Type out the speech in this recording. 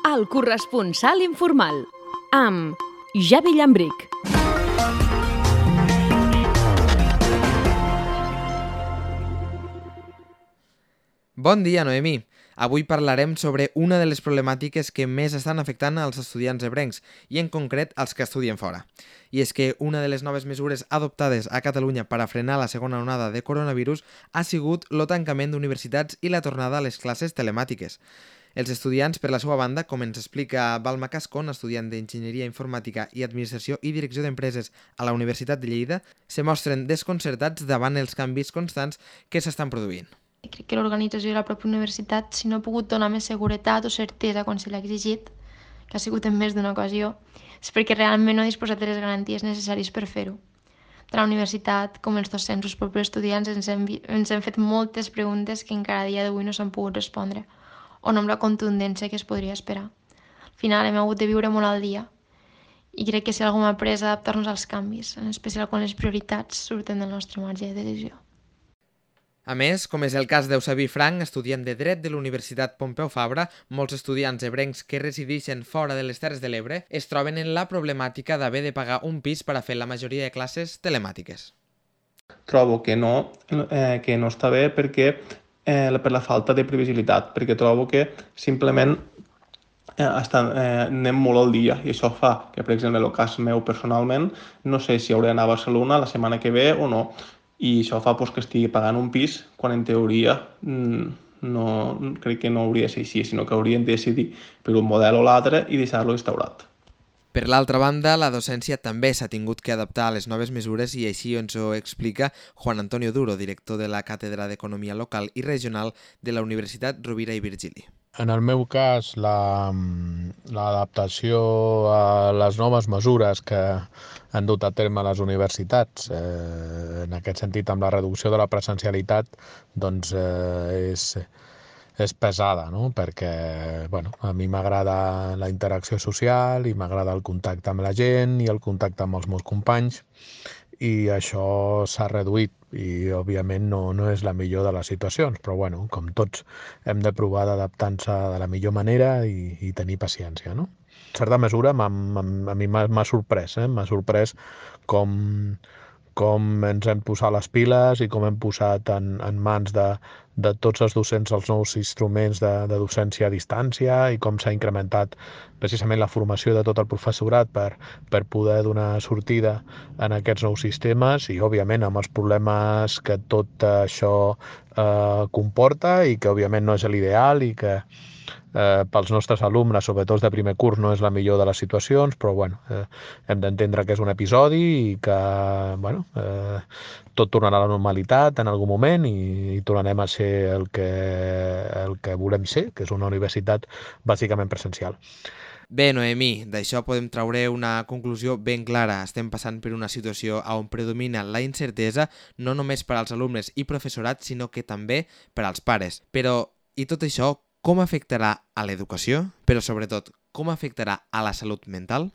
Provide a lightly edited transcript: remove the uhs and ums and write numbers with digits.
El corresponsal informal, amb Javi Llambric. Bon dia, Noemí. Avui parlarem sobre una de les problemàtiques que més estan afectant als estudiants ebrencs i en concret als que estudien fora. I és que una de les noves mesures adoptades a Catalunya per a frenar la segona onada de coronavirus ha sigut el tancament d'universitats i la tornada a les classes telemàtiques. Els estudiants, per la seva banda, com ens explica Balma Cascón, estudiant d'Enginyeria Informàtica i Administració i Direcció d'Empreses a la Universitat de Lleida, se mostren desconcertats davant els canvis constants que s'estan produint. Crec que l'organització de la pròpia universitat, si no ha pogut donar més seguretat o certesa quan se l'ha exigit, que ha sigut en més d'una ocasió, és perquè realment no ha disposat de les garanties necessàries per fer-ho. Tant la universitat com els docents o els propis estudiants ens hem fet moltes preguntes que encara a dia d'avui no s'han pogut respondre, o no amb la contundència que es podria esperar. Al final hem hagut de viure molt al dia i crec que si algú m'ha après a adaptar-nos als canvis, en especial quan les prioritats surten del nostre marge de decisió. A més, com és el cas d'Eusebi Frank, estudiant de Dret de la Universitat Pompeu Fabra, molts estudiants ebrencs que resideixen fora de les Terres de l'Ebre es troben en la problemàtica d'haver de pagar un pis per a fer la majoria de classes telemàtiques. Trobo que no està bé perquè per la falta de previsibilitat, perquè trobo que simplement anem molt al dia i això fa que, per exemple, en el cas meu personalment, no sé si hauré d'anar a Barcelona la setmana que ve o no. I això fa que estigui pagant un pis quan en teoria crec que no hauria de ser així, sinó que haurien de decidir per un model o l'altre i deixar-lo instaurat. Per l'altra banda, la docència també s'ha tingut que adaptar a les noves mesures i així ens ho explica Juan Antonio Duro, director de la Càtedra d'Economia Local i Regional de la Universitat Rovira i Virgili. En el meu cas, l'adaptació a les noves mesures que han dut a terme les universitats, en aquest sentit amb la reducció de la presencialitat, doncs és pesada, no? Perquè a mi m'agrada la interacció social i m'agrada el contacte amb la gent i el contacte amb els meus companys i això s'ha reduït i òbviament no és la millor de les situacions, però com tots hem de provar d'adaptar-nos de la millor manera i tenir paciència, no? En certa mesura a mi m'ha sorprès, m'ha sorprès com ens hem posat les piles i com hem posat en mans de tots els docents els nous instruments de docència a distància i com s'ha incrementat precisament la formació de tot el professorat per poder donar sortida en aquests nous sistemes i, òbviament, amb els problemes que tot això comporta i que, òbviament, no és l'ideal i que pels nostres alumnes, sobretot de primer curs, no és la millor de les situacions, però hem d'entendre que és un episodi i que tot tornarà a la normalitat en algun moment i tornarem a ser el que volem ser, que és una universitat bàsicament presencial. Bé, Noemí, d'això podem treure una conclusió ben clara. Estem passant per una situació on predomina la incertesa, no només per als alumnes i professorat, sinó que també per als pares. Però, i tot això, com afectarà a l'educació? Però, sobretot, com afectarà a la salut mental?